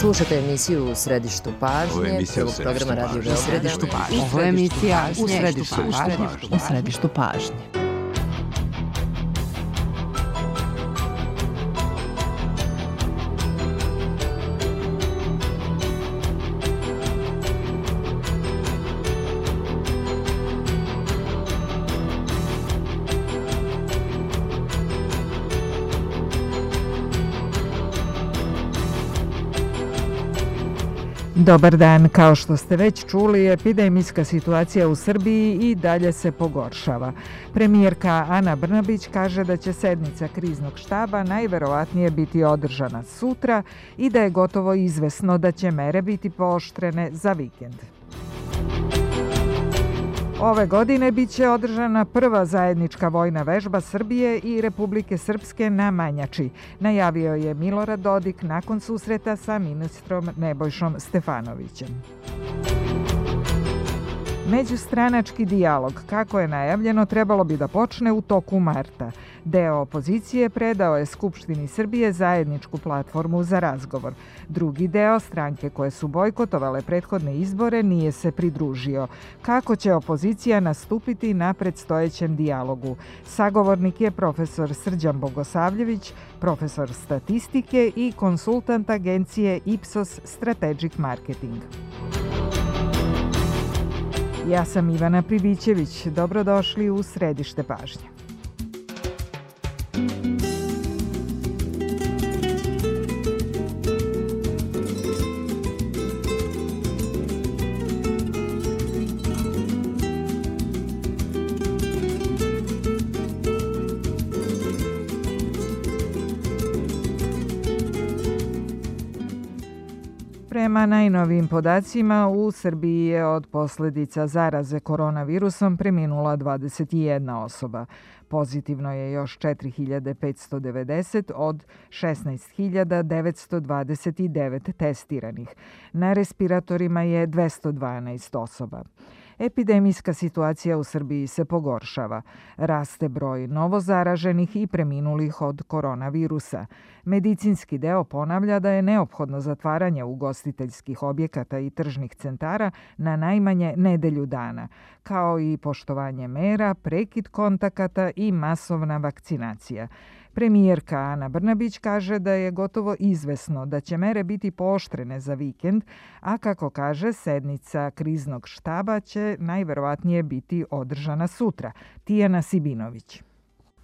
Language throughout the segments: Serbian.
Slušate emisiju U središtu pažnje, prvog programa Radio Beograda. Ovo je emisija U središtu pažnje. Dobar dan, kao što ste već čuli, epidemijska situacija u Srbiji i dalje se pogoršava. Premijerka Ana Brnabić kaže da će sednica kriznog štaba najverovatnije biti održana sutra i da je gotovo izvesno da će mere biti pooštrene za vikend. Ove godine biće održana prva zajednička vojna vežba Srbije i Republike Srpske na Manjači, najavio je Milorad Dodik nakon susreta sa ministrom Nebojšom Stefanovićem. Međustranački dijalog, kako je najavljeno, trebalo bi da počne u toku marta. Deo opozicije predao je Skupštini Srbije zajedničku platformu za razgovor. Drugi deo, stranke koje su bojkotovale prethodne izbore, nije se pridružio. Kako će opozicija nastupiti na predstojećem dijalogu? Sagovornik je profesor Srđan Bogosavljević, profesor statistike i konsultant agencije Ipsos Strategic Marketing. Ja sam Ivana Pribićević. Dobrodošli u središte pažnje. Prema najnovijim podacima, u Srbiji je od posljedica zaraze koronavirusom preminula 21 osoba. Pozitivno je još 4590 od 16.929 testiranih. Na respiratorima je 212 osoba. Epidemijska situacija u Srbiji se pogoršava. Raste broj novozaraženih i preminulih od koronavirusa. Medicinski deo ponavlja da je neophodno zatvaranje ugostiteljskih objekata i tržnih centara na najmanje nedelju dana, kao i poštovanje mera, prekid kontakata i masovna vakcinacija. Premijerka Ana Brnabić kaže da je gotovo izvesno da će mere biti pooštrene za vikend, a kako kaže, sednica kriznog štaba će najverovatnije biti održana sutra. Tijana Sibinović.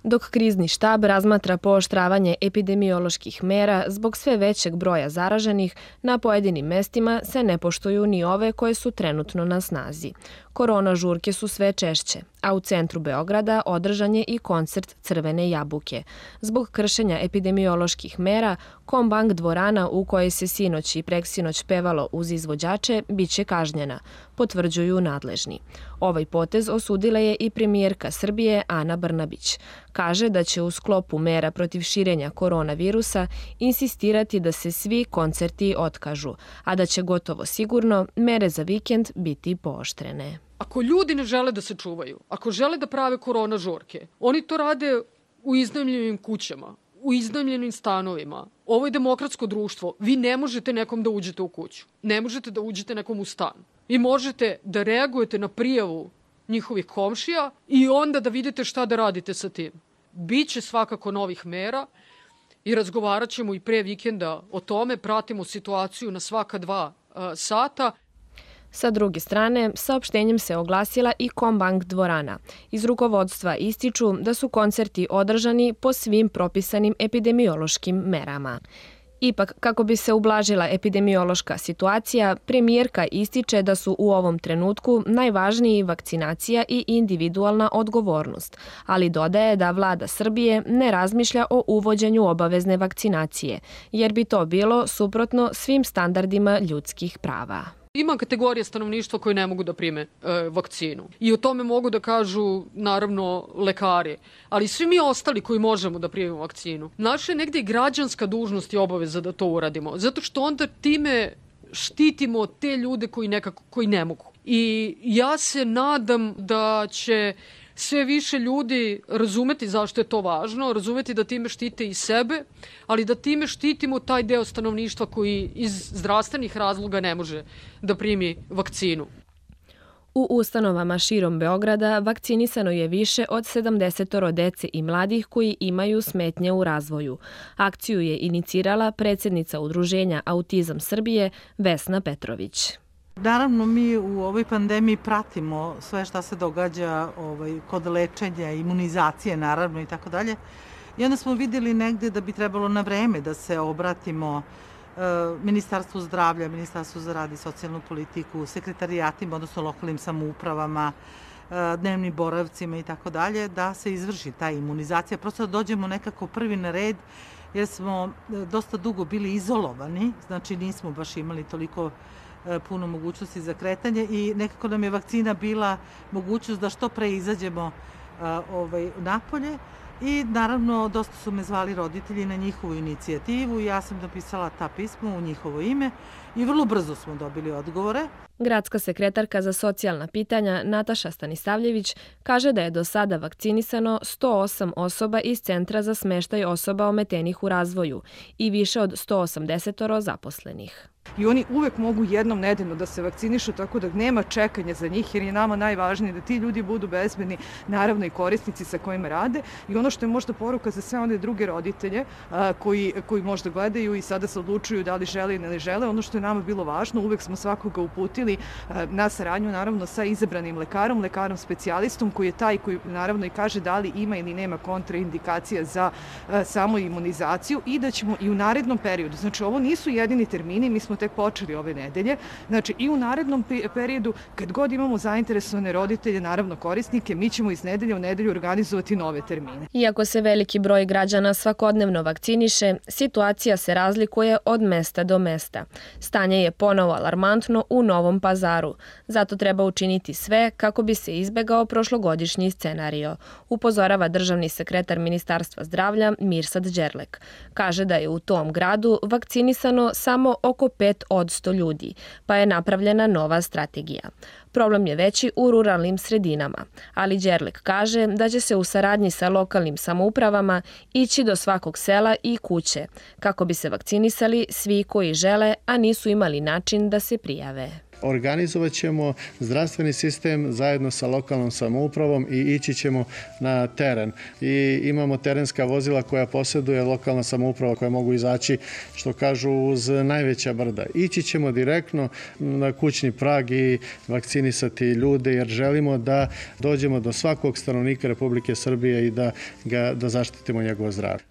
Dok krizni štab razmatra pooštravanje epidemioloških mera zbog sve većeg broja zaraženih, na pojedinim mestima se ne poštuju ni ove koje su trenutno na snazi. Korona žurke su sve češće, a u centru Beograda održan je i koncert Crvene jabuke. Zbog kršenja epidemioloških mera, Kombank dvorana u kojoj se sinoć i preksinoć pevalo uz izvođače biće kažnjena, potvrđuju nadležni. Ovaj potez osudila je i premijerka Srbije Ana Brnabić. Kaže da će u sklopu mera protiv širenja koronavirusa insistirati da se svi koncerti otkažu, a da će gotovo sigurno mere za vikend biti pooštrene. Ako ljudi ne žele da se čuvaju, ako žele da prave korona žurke, oni to rade u iznajmljenim kućama, u iznajmljenim stanovima. Ovo je demokratsko društvo. Vi ne možete nekom da uđete u kuću. Ne možete da uđete nekom u stan. Vi možete da reagujete na prijavu njihovih komšija i onda da vidite šta da radite sa tim. Biće svakako novih mera i razgovarat ćemo i pre vikenda o tome. Pratimo situaciju na svaka 2 sata. Sa druge strane, saopštenjem se oglasila i Kombank dvorana. Iz rukovodstva ističu da su koncerti održani po svim propisanim epidemiološkim merama. Ipak, kako bi se ublažila epidemiološka situacija, premijerka ističe da su u ovom trenutku najvažniji vakcinacija i individualna odgovornost, ali dodaje da vlada Srbije ne razmišlja o uvođenju obavezne vakcinacije, jer bi to bilo suprotno svim standardima ljudskih prava. Ima kategorija stanovništva koje ne mogu da prime vakcinu. I o tome mogu da kažu, naravno, lekari. Ali svi mi ostali koji možemo da primimo vakcinu. Naša je negde i građanska dužnost i obaveza da to uradimo. Zato što onda time štitimo te ljude koji ne mogu. I ja se nadam da će sve više ljudi razumeti zašto je to važno, razumeti da time štite i sebe, ali da time štitimo taj deo stanovništva koji iz zdravstvenih razloga ne može da primi vakcinu. U ustanovama širom Beograda vakcinisano je više od 70 dece i mladih koji imaju smetnje u razvoju. Akciju je inicirala predsjednica Udruženja Autizam Srbije Vesna Petrović. Naravno, mi u ovoj pandemiji pratimo sve šta se događa kod lečenja, imunizacije naravno i tako dalje. I onda smo vidjeli negde da bi trebalo na vreme da se obratimo Ministarstvu zdravlja, Ministarstvu za rad i socijalnu politiku, sekretarijatima, odnosno lokalnim samoupravama, dnevnim boravcima i tako dalje, da se izvrši ta imunizacija. Prosto da dođemo nekako prvi na red, jer smo dosta dugo bili izolovani, znači nismo baš imali toliko puno mogućnosti za kretanje i nekako nam je vakcina bila mogućnost da što pre izađemo napolje. I naravno, dosta su me zvali roditelji na njihovu inicijativu. Ja sam napisala ta pisma u njihovo ime i vrlo brzo smo dobili odgovore. Gradska sekretarka za socijalna pitanja Nataša Stanisavljević kaže da je do sada vakcinisano 108 osoba iz Centra za smeštaj osoba ometenih u razvoju i više od 180 zaposlenih. I oni uvek mogu jednom nedeljno da se vakcinišu, tako da nema čekanja za njih, jer je nama najvažnije da ti ljudi budu bezbedni, naravno i korisnici sa kojima rade. I ono što je možda poruka za sve one druge roditelje koji možda gledaju i sada se odlučuju da li žele ili ne žele, ono što je nama bilo važno, uvek smo svakoga uputili na saradnju naravno sa izabranim lekarom specijalistom koji je taj koji naravno i kaže da li ima ili nema kontraindikacija za samu imunizaciju i da ćemo i u narednom periodu, znači ovo nisu jedini termini, mi smo tek počeli ove nedelje, znači i u narednom periodu kad god imamo zainteresovane roditelje, naravno korisnike, mi ćemo iz nedelje u nedelju organizovati nove termine. Iako se veliki broj građana svakodnevno vakciniše, situacija se razlikuje od mesta do mesta. Stanje je ponovo alarmantno u Novom Pazaru. Zato treba učiniti sve kako bi se izbegao prošlogodišnji scenario, upozorava državni sekretar Ministarstva zdravlja Mirsad Đerlek. Kaže da je u tom gradu vakcinisano samo oko 5% ljudi, pa je napravljena nova strategija. Problem je veći u ruralnim sredinama, ali Đerlek kaže da će se u saradnji sa lokalnim samoupravama ići do svakog sela i kuće, kako bi se vakcinisali svi koji žele, a nisu imali način da se prijave. Organizovat ćemo zdravstveni sistem zajedno sa lokalnom samoupravom i ići ćemo na teren. I imamo terenska vozila koja posjeduje lokalna samouprava koja mogu izaći, što kažu, uz najveća brda. Ići ćemo direktno na kućni prag i vakcinisati ljude jer želimo da dođemo do svakog stanovnika Republike Srbije i da zaštitimo njegovo zdravlje.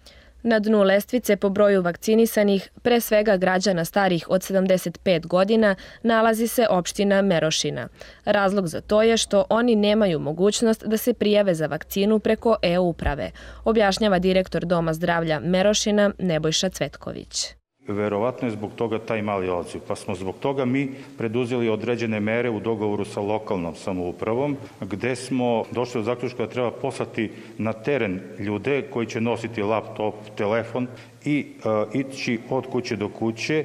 Na dnu lestvice po broju vakcinisanih, pre svega građana starih od 75 godina, nalazi se opština Merošina. Razlog za to je što oni nemaju mogućnost da se prijave za vakcinu preko e-uprave, objašnjava direktor Doma zdravlja Merošina Nebojša Cvetković. Verovatno je zbog toga taj mali odziv, pa smo zbog toga mi preduzeli određene mere u dogovoru sa lokalnom samoupravom, gde smo došli do zaključka da treba poslati na teren ljude koji će nositi laptop, telefon i ići od kuće do kuće,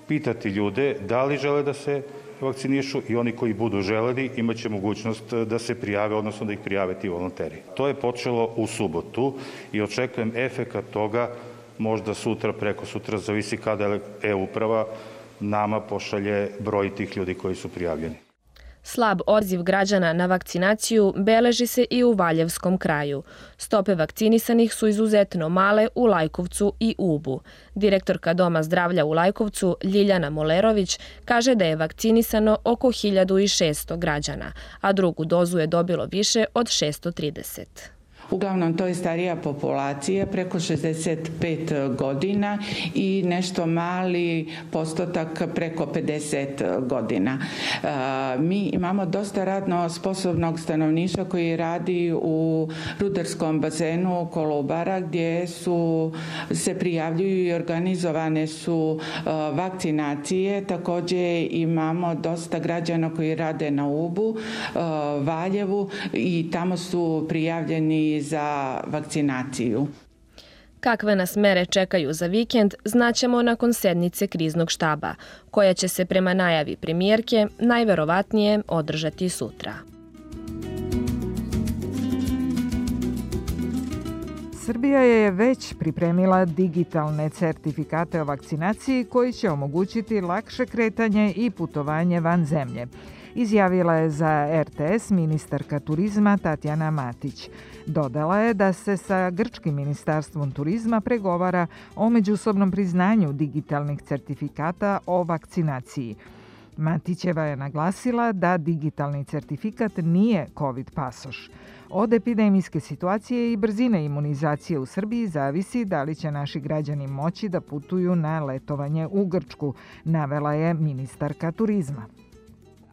pitati ljude da li žele da se vakcinišu i oni koji budu želeli imaće mogućnost da se prijave, odnosno da ih prijave ti volonteri. To je počelo u subotu i očekujem efekat toga možda sutra, preko sutra, zavisi kada e-uprava nama pošalje broj tih ljudi koji su prijavljeni. Slab odziv građana na vakcinaciju beleži se i u Valjevskom kraju. Stope vakcinisanih su izuzetno male u Lajkovcu i Ubu. Direktorka Doma zdravlja u Lajkovcu, Ljiljana Molerović, kaže da je vakcinisano oko 1600 građana, a drugu dozu je dobilo više od 630. Uglavnom, to je starija populacija, preko 65 godina i nešto mali postotak preko 50 godina. Mi imamo dosta radno sposobnog stanovništva koji radi u rudarskom bazenu Kolubara, gdje se prijavljuju i organizovane su vakcinacije. Također imamo dosta građana koji rade na Ubu, Valjevu i tamo su prijavljeni za vakcinaciju. Kakve nas mere čekaju za vikend, znaćemo nakon sednice kriznog štaba, koja će se prema najavi premijerke najverovatnije održati sutra. Srbija je već pripremila digitalne certifikate o vakcinaciji koji će omogućiti lakše kretanje i putovanje van zemlje, izjavila je za RTS ministarka turizma Tatjana Matić. Dodala je da se sa grčkim ministarstvom turizma pregovara o međusobnom priznanju digitalnih certifikata o vakcinaciji. Matićeva je naglasila da digitalni certifikat nije COVID pasoš. Od epidemijske situacije i brzine imunizacije u Srbiji zavisi da li će naši građani moći da putuju na letovanje u Grčku, navela je ministarka turizma.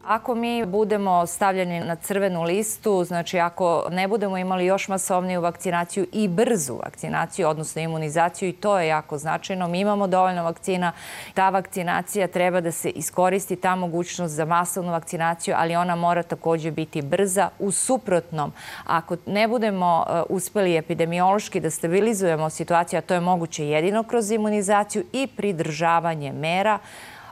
Ako mi budemo stavljeni na crvenu listu, znači ako ne budemo imali još masovniju vakcinaciju i brzu vakcinaciju, odnosno imunizaciju, i to je jako značajno. Mi imamo dovoljno vakcina. Ta vakcinacija treba da se iskoristi, ta mogućnost za masovnu vakcinaciju, ali ona mora također biti brza. U suprotnom, ako ne budemo uspeli epidemiološki da stabilizujemo situaciju, a to je moguće jedino kroz imunizaciju i pridržavanje mera,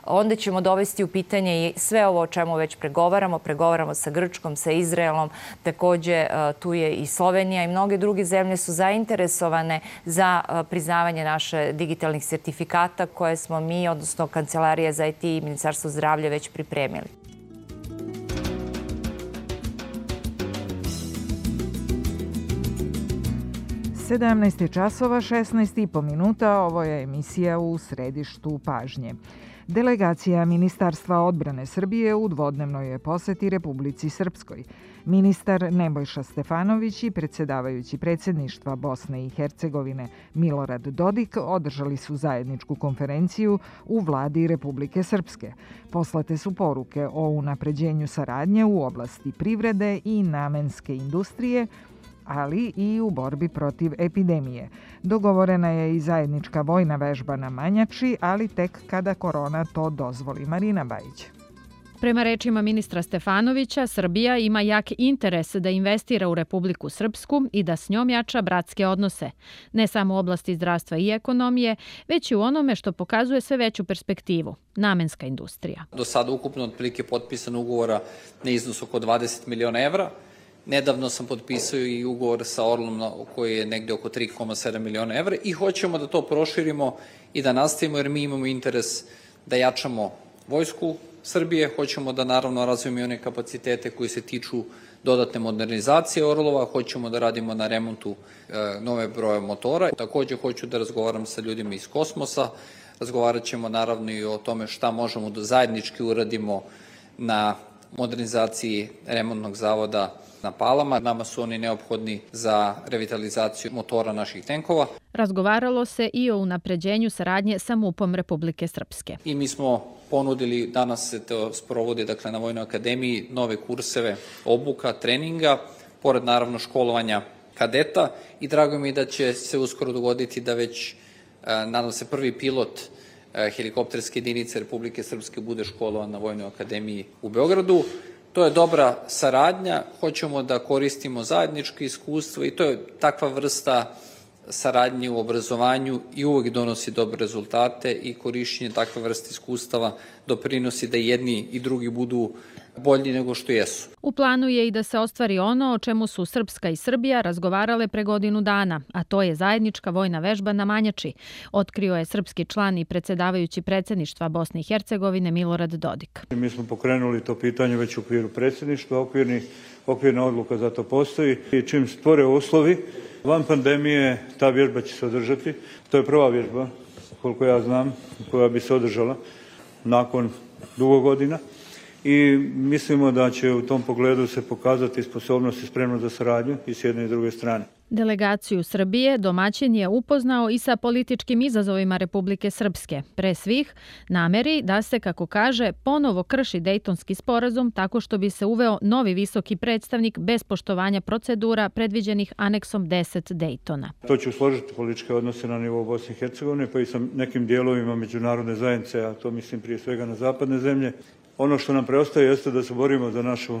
onda ćemo dovesti u pitanje i sve ovo o čemu već pregovaramo. Pregovaramo sa Grčkom, sa Izraelom, također tu je i Slovenija i mnoge druge zemlje su zainteresovane za priznavanje naše digitalnih sertifikata koje smo mi, odnosno Kancelarija za IT i Ministarstvo zdravlja već pripremili. časova 16,5 minuta. Ovo je emisija U središtu pažnje. Delegacija Ministarstva odbrane Srbije u dvodnevnoj je poseti Republici Srpskoj. Ministar Nebojša Stefanović i predsjedavajući predsjedništva Bosne i Hercegovine Milorad Dodik održali su zajedničku konferenciju u vladi Republike Srpske. Poslate su poruke o unapređenju saradnje u oblasti privrede i namenske industrije, ali i u borbi protiv epidemije. Dogovorena je i zajednička vojna vežba na Manjači, ali tek kada korona to dozvoli. Marina Bajić. Prema rečima ministra Stefanovića, Srbija ima jak interes da investira u Republiku Srpsku i da s njom jača bratske odnose, ne samo u oblasti zdravstva i ekonomije, već i u onome što pokazuje sve veću perspektivu, namenska industrija. Do sada ukupno otprilike potpisano ugovora na iznos oko 20 miliona evra. Nedavno sam potpisao i ugovor sa Orlom koji je negde oko 3,7 miliona evra i hoćemo da to proširimo i da nastavimo jer mi imamo interes da jačamo vojsku Srbije, hoćemo da naravno razvijemo i one kapacitete koji se tiču dodatne modernizacije Orlova, hoćemo da radimo na remontu nove broje motora. Također hoću da razgovaram sa ljudima iz kosmosa, razgovarat ćemo naravno i o tome šta možemo da zajednički uradimo na modernizaciji remontnog zavoda na Palama. Nama su oni neophodni za revitalizaciju motora naših tenkova. Razgovaralo se i o unapređenju saradnje sa MUP-om Republike Srpske. I mi smo ponudili, danas se to sprovodi na Vojnoj akademiji, nove kurseve obuka, treninga, pored naravno školovanja kadeta i drago mi je da će se uskoro dogoditi da već, nadam se, prvi pilot helikopterske jedinice Republike Srpske bude školovan na Vojnoj akademiji u Beogradu. To je dobra saradnja, hoćemo da koristimo zajedničke iskustva i to je takva vrsta saradnje u obrazovanju i uvek donosi dobre rezultate i korišćenje takve vrste iskustava doprinosi da jedni i drugi budu bolji nego što jesu. U planu je i da se ostvari ono o čemu su Srpska i Srbija razgovarale pre godinu dana, a to je zajednička vojna vežba na Manjači, otkrio je srpski član i predsjedavajući predsjedništva Bosne i Hercegovine Milorad Dodik. Mi smo pokrenuli to pitanje već u okviru predsjedništva, okvirna odluka za to postoji i čim stvore uslovi, van pandemije ta vježba će se održati. To je prva vježba, koliko ja znam, koja bi se održala nakon dugo godina. I mislimo da će u tom pogledu se pokazati sposobnost i spremnost za saradnju i s jedne i druge strane. Delegaciju Srbije domaćin je upoznao i sa političkim izazovima Republike Srpske. Pre svih, nameri da se, kako kaže, ponovo krši Dejtonski sporazum tako što bi se uveo novi visoki predstavnik bez poštovanja procedura predviđenih aneksom 10 Dejtona. To će usložiti političke odnose na nivou Bosne i Hercegovine, pa i sa nekim dijelovima međunarodne zajednice, a to mislim prije svega na zapadne zemlje. Ono što nam preostaje jeste da se borimo za našu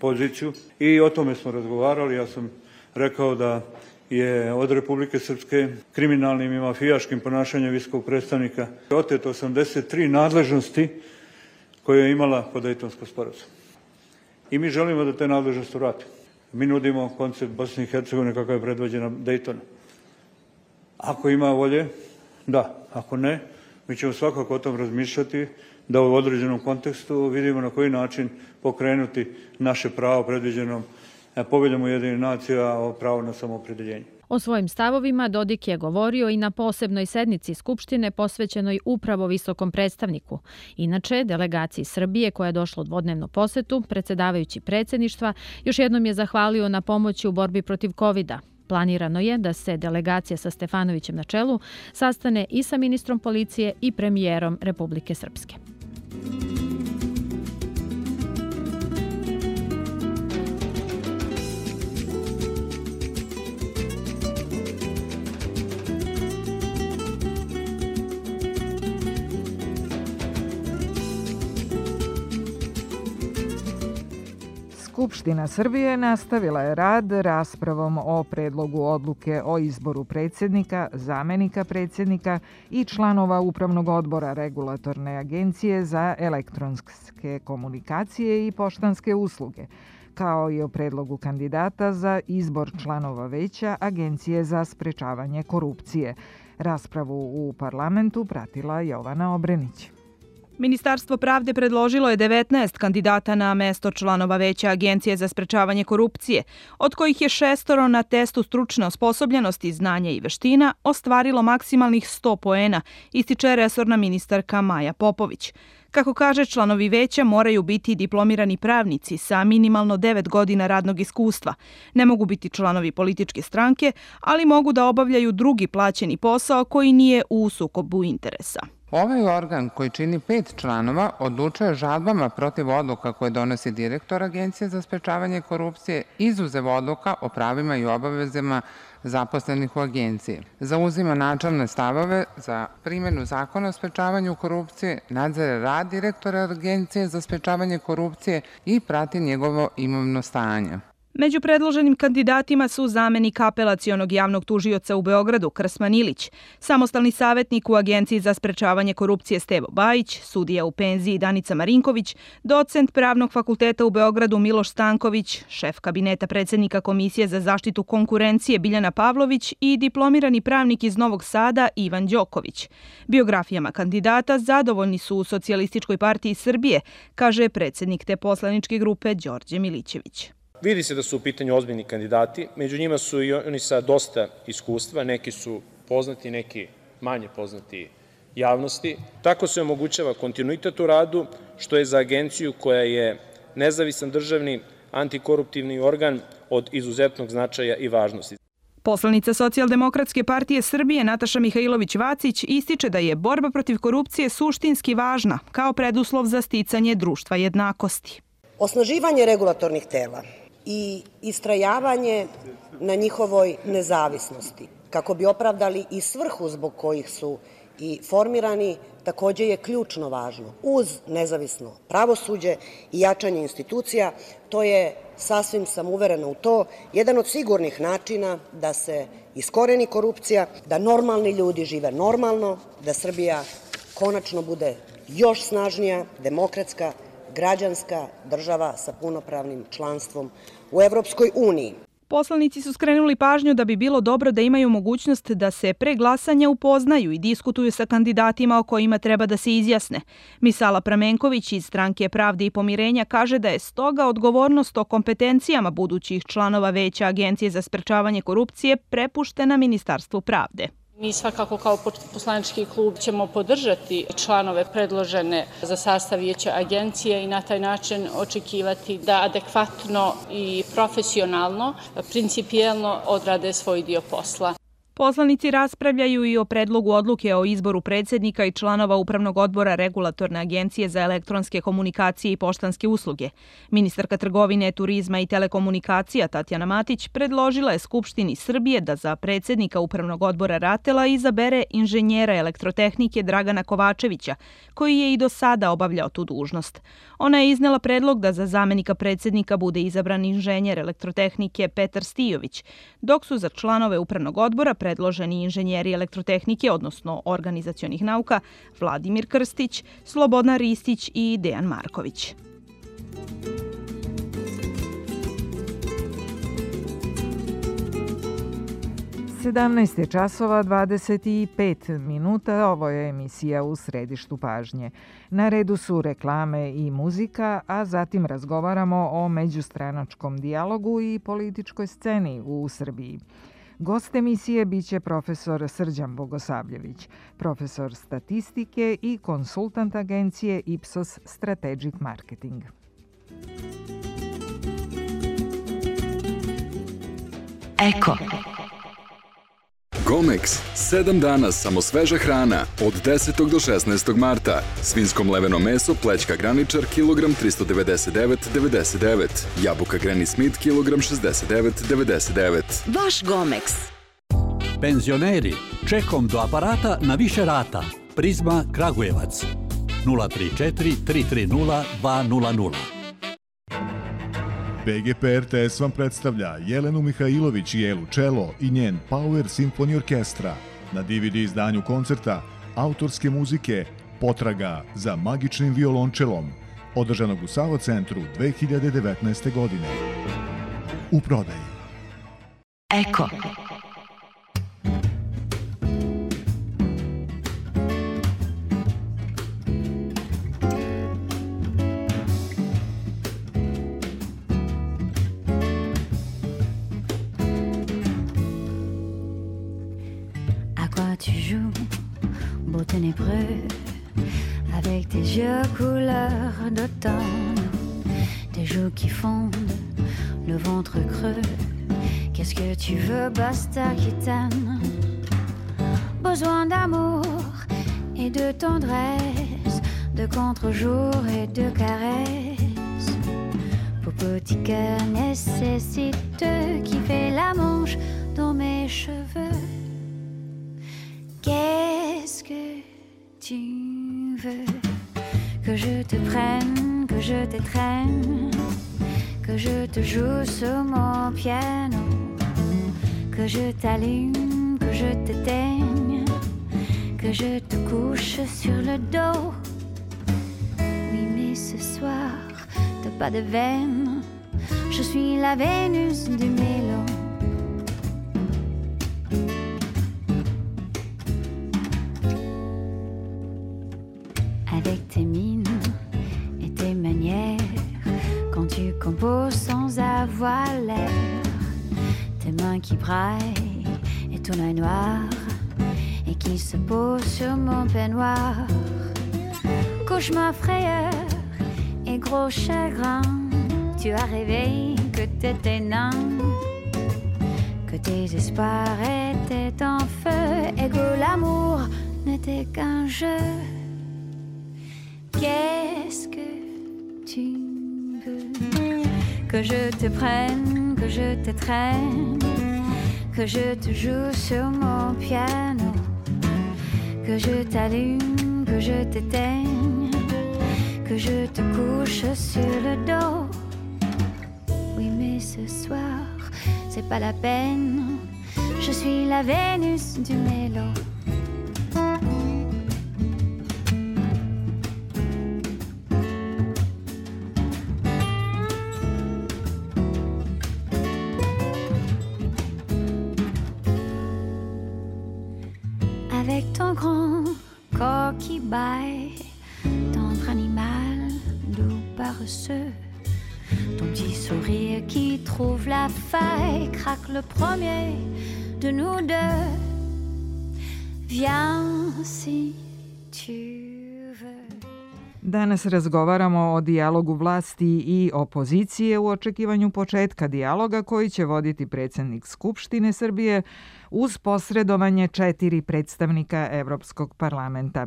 poziciju i o tome smo razgovarali. Ja sam rekao da je od Republike Srpske kriminalnim i mafijaškim ponašanjem visokog predstavnika oteto 83 nadležnosti koje je imala po Dejtonskom sporazumu. I mi želimo da te nadležnosti vratimo. Mi nudimo koncept Bosne i Hercegovine kakav je predvođena Dejtona. Ako ima volje, da. Ako ne, mi ćemo svakako o tom razmišljati, da u određenom kontekstu vidimo na koji način pokrenuti naše pravo predviđenom Poveljom Ujedinjenih nacija o pravu na samoopredeljenje. O svojim stavovima Dodik je govorio i na posebnoj sednici Skupštine posvećenoj upravo visokom predstavniku. Inače, delegaciji Srbije koja je došla u dvodnevnu posetu, predsjedavajući predsjedništva, još jednom je zahvalio na pomoći u borbi protiv COVID-a. Planirano je da se delegacija sa Stefanovićem na čelu sastane i sa ministrom policije i premijerom Republike Srpske. Skupština Srbije nastavila je rad raspravom o predlogu odluke o izboru predsjednika, zamenika predsjednika i članova Upravnog odbora Regulatorne agencije za elektronske komunikacije i poštanske usluge, kao i o predlogu kandidata za izbor članova veća Agencije za sprečavanje korupcije. Raspravu u parlamentu pratila Jovana Obrenić. Ministarstvo pravde predložilo je 19 kandidata na mesto članova veća Agencije za sprečavanje korupcije, od kojih je 6 na testu stručne osposobljenosti, znanja i veština ostvarilo maksimalnih 100 poena, ističe resorna ministarka Maja Popović. Kako kaže, članovi veća moraju biti diplomirani pravnici sa minimalno 9 godina radnog iskustva. Ne mogu biti članovi političke stranke, ali mogu da obavljaju drugi plaćeni posao koji nije u sukobu interesa. Ovaj organ koji čini 5 članova odlučuje žalbama protiv odluka koje donosi direktor Agencije za sprečavanje korupcije, izuzev odluka o pravima i obavezama zaposlenih u agenciji. Zauzima načelne stavove za primjenu zakona o sprečavanju korupcije, nadzire rad direktora Agencije za sprečavanje korupcije i prati njegovo imovno stanje. Među predloženim kandidatima su zamenik apelacionog javnog tužioca u Beogradu Krsman Ilić, samostalni savjetnik u Agenciji za sprečavanje korupcije Stevo Bajić, sudija u penziji Danica Marinković, docent Pravnog fakulteta u Beogradu Miloš Stanković, šef kabineta predsjednika Komisije za zaštitu konkurencije Biljana Pavlović i diplomirani pravnik iz Novog Sada Ivan Đoković. Biografijama kandidata zadovoljni su u Socijalističkoj partiji Srbije, kaže predsjednik te poslaničke grupe Đorđe Milićević. Vidi se da su u pitanju ozbiljni kandidati, među njima su i oni sa dosta iskustva, neki su poznati, neki manje poznati javnosti. Tako se omogućava kontinuitet u radu, što je za agenciju koja je nezavisan državni antikoruptivni organ od izuzetnog značaja i važnosti. Poslanica Socijaldemokratske partije Srbije Nataša Mihajlović-Vacić ističe da je borba protiv korupcije suštinski važna kao preduslov za sticanje društva jednakosti. Osnaživanje regulatornih tela i istrajavanje na njihovoj nezavisnosti, kako bi opravdali i svrhu zbog kojih su i formirani, takođe je ključno važno. Uz nezavisno pravosuđe i jačanje institucija, to je, sasvim sam uverena u to, jedan od sigurnih načina da se iskoreni korupcija, da normalni ljudi žive normalno, da Srbija konačno bude još snažnija, demokratska, građanska država sa punopravnim članstvom u Evropskoj uniji. Poslanici su skrenuli pažnju da bi bilo dobro da imaju mogućnost da se pre glasanja upoznaju i diskutuju sa kandidatima o kojima treba da se izjasne. Misala Pramenković iz Stranke Pravde i pomirenja kaže da je stoga odgovornost o kompetencijama budućih članova veća Agencije za sprečavanje korupcije prepuštena Ministarstvu pravde. Mi svakako kao poslanički klub ćemo podržati članove predložene za sastav vijeća agencije i na taj način očekivati da adekvatno i profesionalno, principijelno odrade svoj dio posla. Poslanici raspravljaju i o predlogu odluke o izboru predsjednika i članova Upravnog odbora Regulatorne agencije za elektronske komunikacije i poštanske usluge. Ministarka trgovine, turizma i telekomunikacija Tatjana Matić predložila je Skupštini Srbije da za predsjednika Upravnog odbora RATEL-a izabere inženjera elektrotehnike Dragana Kovačevića, koji je i do sada obavljao tu dužnost. Ona je iznela predlog da za zamenika predsjednika bude izabran inženjer elektrotehnike Petar Stijović, dok su za članove Upravnog odbora predloženi inženjeri elektrotehnike, odnosno organizacionih nauka, Vladimir Krstić, Slobodan Ristić i Dejan Marković. 17 je časova 25 minuta, ovo je emisija U središtu pažnje. Na redu su reklame i muzika, a zatim razgovaramo o međustranačkom dijalogu i političkoj sceni u Srbiji. Gost emisije biće profesor Srđan Bogosavljević, profesor statistike i konsultant agencije Ipsos Strategic Marketing. Eko. Gomex, 7 dana samo sveža hrana, od 10. do 16. marta. Svinsko mleveno meso, plećka graničar, kilogram 399,99. Jabuka Granny Smith, kilogram 69,99. Vaš Gomex. Penzioneri, čekom do aparata na više rata. Prizma Kragujevac, 034 330 200. BGP RTS vam predstavlja Jelenu Mihajlović i Elu Čelo i njen Power Symphony Orkestra. Na DVD izdanju koncerta autorske muzike Potraga za magičnim violončelom, održanog u Savo centru 2019. godine. U prodaji. Eko. Tu joues, beau ténébreux, avec tes yeux couleur d'automne, tes joues qui fondent, le ventre creux. Qu'est-ce que tu veux, basta qui t'aime? Besoin d'amour et de tendresse, de contre-jour et de caresses. Pour petit cœur nécessite qui fait la manche dans mes cheveux. Qu'est-ce que tu veux? Que je te prenne, que je t'étreigne, que je te joue sur mon piano, que je t'allume, que je t'éteigne, que je te couche sur le dos. Oui, mais ce soir, t'as pas de veine, je suis la Vénus du mélo. Avec tes mines et tes manières, quand tu composes sans avoir l'air, tes mains qui braillent et ton œil noir, et qui se pose sur mon peignoir. Cauchemar, frayeur et gros chagrin, tu as rêvé que t'étais nain, que tes espoirs étaient en feu, et que l'amour n'était qu'un jeu. Qu'est-ce que tu veux? Que je te prenne, que je t'étreigne, que je te joue sur mon piano, que je t'allume, que je t'éteigne, que je te couche sur le dos. Oui, mais ce soir, c'est pas la peine, je suis la Vénus du mélo. Avec ton grand corps qui baille, tendre animal, doux paresseux, ton petit sourire qui trouve la faille, craque le premier de nous deux. Viens si tu veux. Danas razgovaramo o dijalogu vlasti i opozicije u očekivanju početka dijaloga koji će voditi predsjednik Skupštine Srbije uz posredovanje 4 predstavnika Evropskog parlamenta.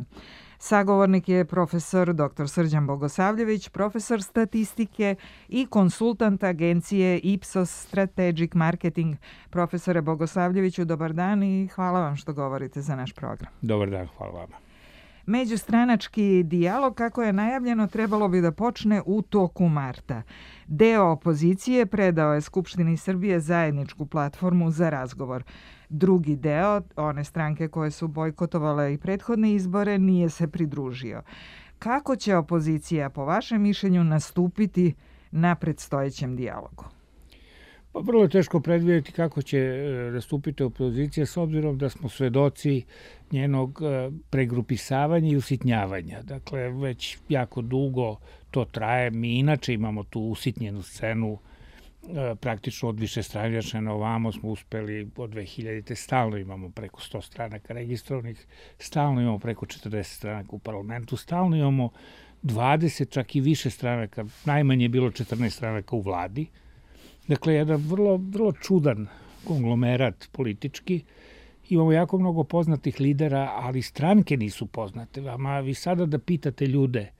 Sagovornik je profesor dr. Srđan Bogosavljević, profesor statistike i konsultant agencije Ipsos Strategic Marketing. Profesore Bogosavljeviću, dobar dan i hvala vam što govorite za naš program. Dobar dan, hvala vama. Međustranački dijalog, kako je najavljeno, trebalo bi da počne u toku marta. Deo opozicije predao je Skupštini Srbije zajedničku platformu za razgovor. Drugi deo, one stranke koje su bojkotovale i prethodne izbore, nije se pridružio. Kako će opozicija, po vašem mišljenju, nastupiti na predstojećem dijalogu? Pa vrlo je teško predvidjeti kako će nastupiti opozicija s obzirom da smo svedoci njenog pregrupisavanja i usitnjavanja. Dakle, već jako dugo to traje. Mi inače imamo tu usitnjenu scenu praktično od višestranačja na ovamo smo uspeli od 2000. Stalno imamo preko 100 stranaka registrovanih, stalno imamo preko 40 stranaka u parlamentu, stalno imamo 20, čak i više stranaka, najmanje je bilo 14 stranaka u vladi. Dakle, jedan vrlo čudan konglomerat politički. Imamo jako mnogo poznatih lidera, ali stranke nisu poznate. Vi sada da pitate ljude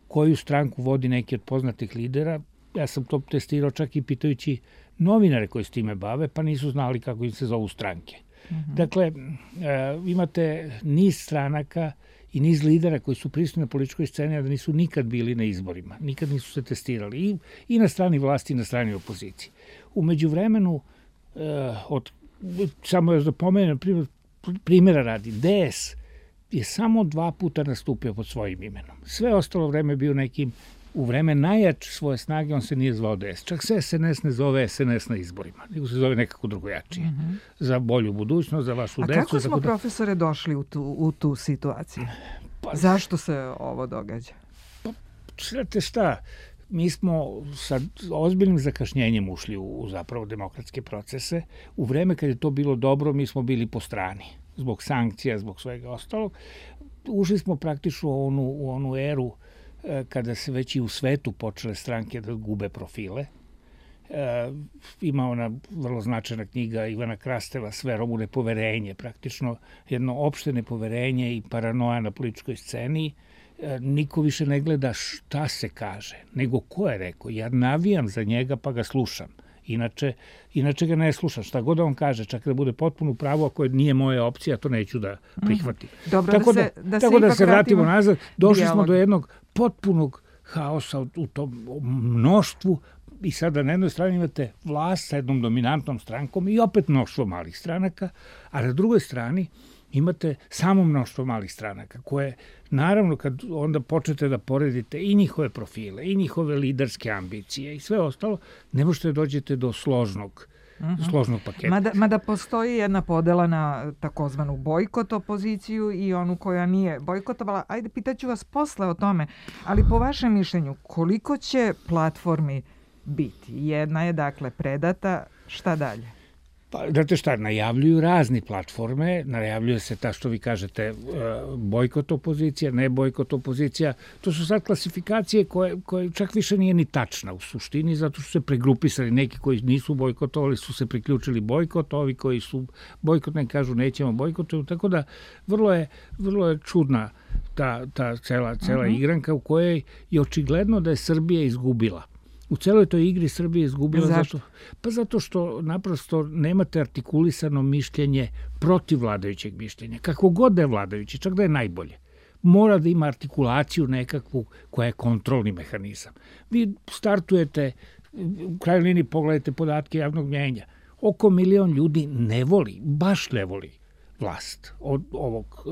koju stranku vodi neki od poznatih lidera, ja sam to testirao čak i pitajući novinare koji s time bave, pa nisu znali kako im se zovu stranke. Dakle, imate niz stranaka i niz lidera koji su prisutni na političkoj sceni, a da nisu nikad bili na izborima. Nikad nisu se testirali. I na strani vlasti i na strani opozicije. U međuvremenu, samo još da pomenem, primjera radi, DS je samo 2 puta nastupio pod svojim imenom. Sve ostalo vreme bio nekim, u vreme najjače svoje snage, on se nije zvao DS. Čak se SNS ne zove SNS na izborima, nego se zove nekako drugojačije. Za bolju budućnost, za vašu decu. A kako smo, profesore, došli u tu situaciju? Zašto se ovo događa? Pa, znate šta, mi smo sa ozbiljnim zakašnjenjem ušli u zapravo demokratske procese. U vreme kad je to bilo dobro, mi smo bili po strani. Zbog sankcija, zbog svega ostalog. Ušli smo praktično u onu eru kada se već i u svetu počele stranke da gube profile. Ima ona vrlo značajna knjiga Ivana Krasteva Sve u nepoverenje, praktično jedno opšte nepoverenje i paranoja na političkoj sceni. Niko više ne gleda šta se kaže, nego ko je rekao. Ja navijam za njega pa ga slušam. Inače ga ne slušam. Šta god on kaže, čak da bude potpuno pravo, ako nije moja opcija, to neću da prihvatim. Dobro, tako da se vratimo nazad. Došli smo do jednog potpunog haosa u tom mnoštvu i sada na jednoj strani imate vlast sa jednom dominantnom strankom i opet mnoštvo malih stranaka, a na drugoj strani imate samo mnoštvo malih stranaka koje, naravno, kad onda počnete da poredite i njihove profile, i njihove liderske ambicije i sve ostalo, ne možete dođete do složnog paketa. Mada postoji jedna podela na takozvanu bojkot opoziciju i onu koja nije bojkotovala. Ajde, pitaću vas posle o tome, ali po vašem mišljenju, koliko će platformi biti? Jedna je, dakle, predata, šta dalje? Pa, znate šta, najavljuju razni platforme, najavljuje se ta što vi kažete bojkot opozicija, ne bojkot opozicija. To su sad klasifikacije koje čak više nije ni tačna u suštini, zato su se pregrupisali. Neki koji nisu bojkotovali su se priključili bojkot, ovi koji su bojkotni kažu nećemo bojkotovati, tako da vrlo je čudna ta cela igranka u kojoj je očigledno da je Srbija izgubila. U celoj toj igri Srbija izgubila. Zašto? Pa zato što naprosto nemate artikulisano mišljenje protiv vladajućeg mišljenja. Kako god da je vladajući, čak da je najbolje. Mora da ima artikulaciju nekakvu koja je kontrolni mehanizam. Vi startujete, u krajnjoj liniji pogledajte podatke javnog mnjenja. Oko 1 milion ljudi baš ne voli vlast od ovog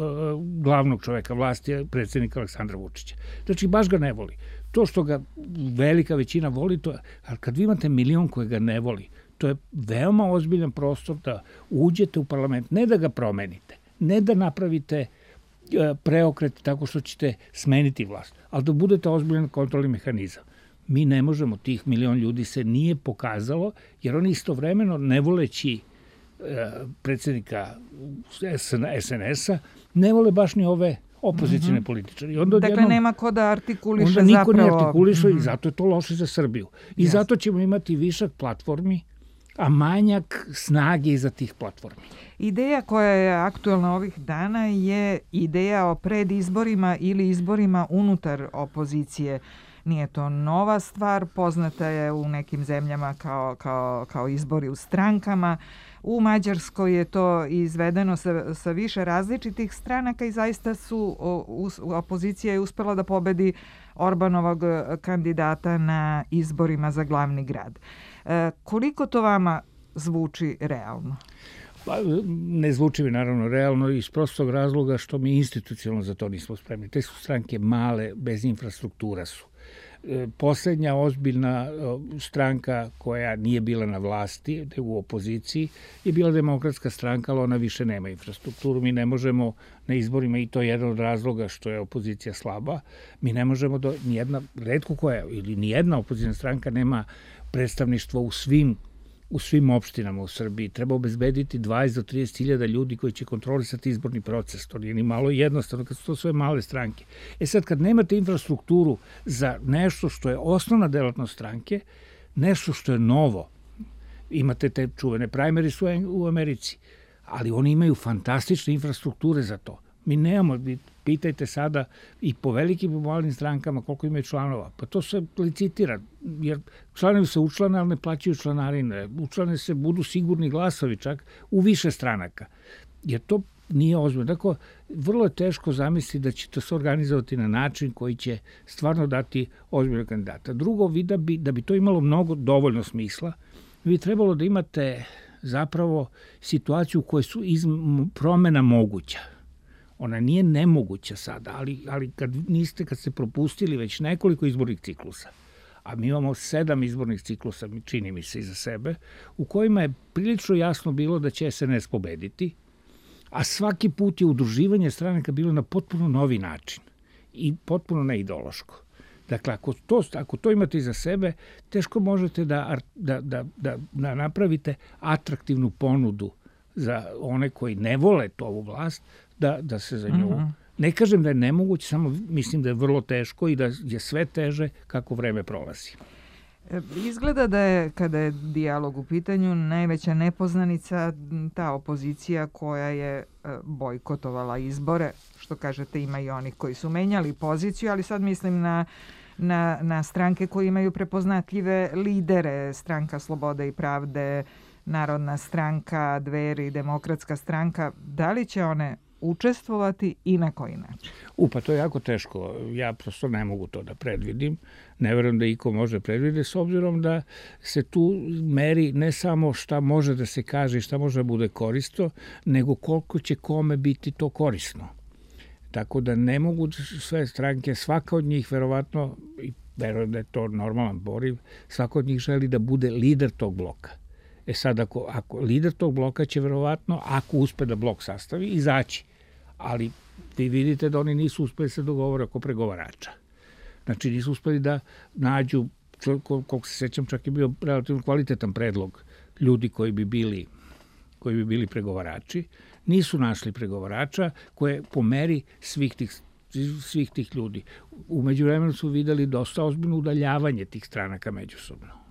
glavnog čoveka vlasti, predsjednika Aleksandra Vučića. Znači, baš ga ne voli. To što ga velika većina voli, ali kad vi imate 1 milion koje ga ne voli, to je veoma ozbiljan prostor da uđete u parlament, ne da ga promenite, ne da napravite preokret tako što ćete smeniti vlast, ali da budete ozbiljan kontrolni mehanizam. Mi ne možemo, tih 1 milion ljudi se nije pokazalo, jer oni istovremeno, ne voleći predsjednika SNS-a, ne vole baš ni ove opozicijne političari. Dakle, nema ko da artikuliše zapravo. Onda niko ne artikuliše i zato je to loše za Srbiju. I zato ćemo imati višak platformi, a manjak snage iza tih platformi. Ideja koja je aktuelna ovih dana je ideja o predizborima ili izborima unutar opozicije. Nije to nova stvar, poznata je u nekim zemljama kao izbori u strankama. U Mađarskoj je to izvedeno sa više različitih stranaka i zaista opozicija je uspela da pobedi Orbanovog kandidata na izborima za glavni grad. Koliko to vama zvuči realno? Pa, ne zvuči mi naravno realno iz prostog razloga što mi institucionalno za to nismo spremni. Te su stranke male, bez infrastruktura su. Poslednja ozbiljna stranka koja nije bila na vlasti, u opoziciji, je bila Demokratska stranka, ali ona više nema infrastrukturu. Mi ne možemo na izborima, i to je jedan od razloga što je opozicija slaba, mi ne možemo, retko koja, ili nijedna opozicijna stranka nema predstavništvo u svim opštinama u Srbiji. Treba obezbediti 20 do 30 hiljada ljudi koji će kontrolisati izborni proces. To nije ni malo jednostavno kad su to sve male stranke. Sad, kad nemate infrastrukturu za nešto što je osnovna delatnost stranke, nešto što je novo, imate te čuvene primaries u Americi, ali oni imaju fantastične infrastrukture za to. Mi nemamo, pitajte sada i po velikim i malim strankama koliko imaju članova. Pa to se licitira, jer članovi se učlane, ali ne plaćaju članarine. Učlane se, budu sigurni glasovi čak u više stranaka. Jer to nije ozbiljno. Dakle, vrlo je teško zamisliti da će to se organizovati na način koji će stvarno dati ozbiljnog kandidata. Drugo, da bi to imalo dovoljno smisla, bi trebalo da imate zapravo situaciju u kojoj su promena moguća. Ona nije nemoguća sada, ali kad ste propustili već nekoliko izbornih ciklusa, a mi imamo 7 izbornih ciklusa, čini mi se, iza sebe, u kojima je prilično jasno bilo da će SNS pobediti, a svaki put je udruživanje stranaka bilo na potpuno novi način i potpuno neideološko. Dakle, ako to imate iza sebe, teško možete da napravite atraktivnu ponudu za one koji ne vole ovu vlast, da se za nju... Ne kažem da je nemoguće, samo mislim da je vrlo teško i da je sve teže kako vreme prolazi. Izgleda da je, kada je dijalog u pitanju, najveća nepoznanica ta opozicija koja je bojkotovala izbore. Što kažete, ima i onih koji su menjali poziciju, ali sad mislim na stranke koje imaju prepoznatljive lidere. Stranka Slobode i pravde, Narodna stranka, Dveri, Demokratska stranka. Da li će one učestvovati i na koji način? Pa to je jako teško. Ja prosto ne mogu to da predvidim. Ne verujem da iko može predvideti, s obzirom da se tu meri ne samo šta može da se kaže i šta može da bude korisno, nego koliko će kome biti to korisno. Tako da ne mogu sve stranke, svaka od njih verovatno, i verujem da je to normalan poriv, svaka od njih želi da bude lider tog bloka. Sad, ako lider tog bloka će verovatno, ako uspe da blok sastavi, izaći. Ali vi vidite da oni nisu uspeli se dogovore oko pregovarača. Znači, nisu uspeli da nađu, koliko se sećam, čak je bio relativno kvalitetan predlog ljudi koji bi bili pregovarači. Nisu našli pregovarača koje po meri svih tih ljudi. U međuvremenu su videli dosta ozbiljno udaljavanje tih stranaka međusobno.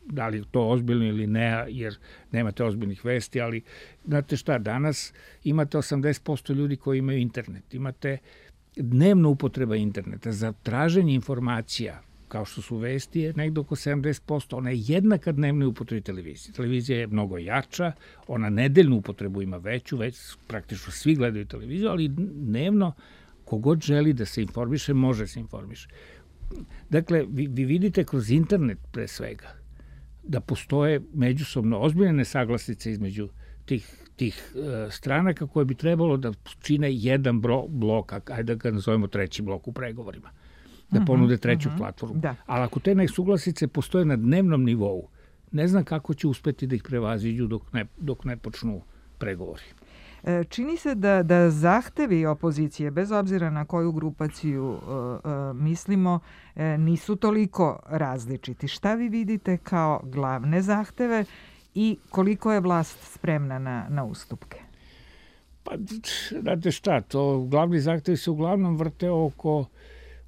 Da li je to ozbiljno ili ne, jer nemate ozbiljnih vesti, ali znate šta, danas imate 80% ljudi koji imaju internet, imate dnevno upotreba interneta za traženje informacija, kao što su vesti, je negdje oko 70%, ona je jednaka dnevnoj upotrebi televizije. Televizija je mnogo jača, ona nedeljnu upotrebu ima veću, već praktično svi gledaju televiziju, ali dnevno kogod želi da se informiše, može se informiše. Dakle, vi vidite kroz internet pre svega da postoje međusobno ozbiljne nesaglasnice između tih stranaka koje bi trebalo da čine jedan blok, ajde da ga nazovemo treći blok u pregovorima, da ponude treću platformu. Da. Ali ako te nesuglasice postoje na dnevnom nivou, ne znam kako će uspeti da ih prevaziđu dok ne počnu pregovori. Čini se da zahtevi opozicije, bez obzira na koju grupaciju mislimo, nisu toliko različiti. Šta vi vidite kao glavne zahteve i koliko je vlast spremna na ustupke? Pa, znate šta, glavni zahtevi se uglavnom vrte